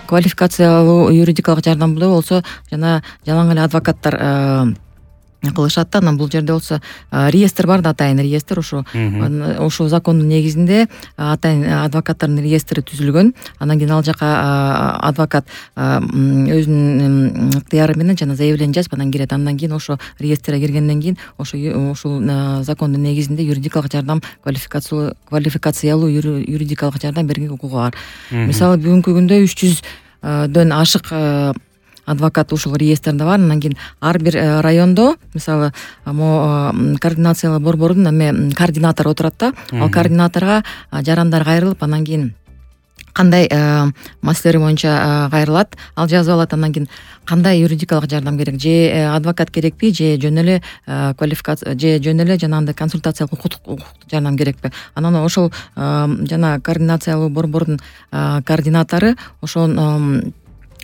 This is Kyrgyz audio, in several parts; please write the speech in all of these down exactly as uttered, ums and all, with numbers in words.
квалификациялуу юридикалык жардамды болсо жана жалаң эле адвокаттар кылышат да. Анан бул жерде болсо реестр бар да, атайын реестр. Ошо ошол закондун негизинде атайын адвокаттардын реестри түзүлгөн. Анан кийин ал жака адвокат өзүнүн ыктыяры менен жана заявление жазып анан кирет. Андан кийин ошо реестрге киргенден кийин ошо ушул закондун негизинде юридикалык жардам, квалификациялуу квалификациялуу юридикалык жардам берүүгө укугу бар. Мисалы бүгүнкү күндө үч жүздөн ашык адвокат ушул реестрде бар. Анан кийин ар бир райондо, мисалы, могу координациялык борбордун эме координатору отурат да. Ал координаторго жарандар кайрылып, анан кийин кандай маселелер боюнча кайрылат, ал жазып алат. Андан кийин кандай юридикалык жардам керек, же адвокат керекпи, же жөн эле квалификация, же жөн эле жанагындай консультациялык укуктук жардам керекпи. Анан ошол жана координациялуу борбордун координатору ошол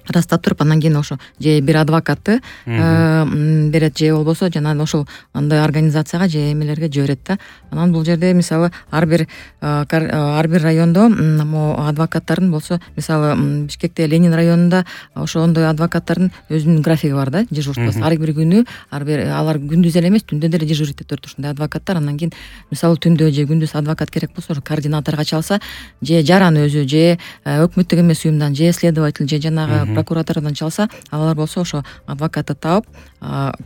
ырастап туруп, анан кийин ошо же бир адвокатты берет, же болбосо жана ошол андай организацияга же эмелерге жиберет да. Анан бул жерде мисалы ар бир ар бир райондо могу адвокаттардын болсо, мисалы Бишкекте Ленин районунда ошондой адвокаттардын өзүнүн графиги бар да, дежурствосу. Ар бир күнү ар бир алар күндүз эле эмес, түндө деле дежурить этип турат ушундай адвокаттар. Анан кийин мисалы түндө же күндүз адвокат керек болсо, координаторго чалса, же жаран өзү, же өкмөттүк эмес уюмдан, же следователь, же жанагы прокуратурадан чалса, алар болсо ошо адвокатты таап,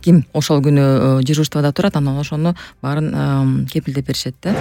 ким ошол күнү дежурствода турат, анан ошону баарын кепилдеп беришет да.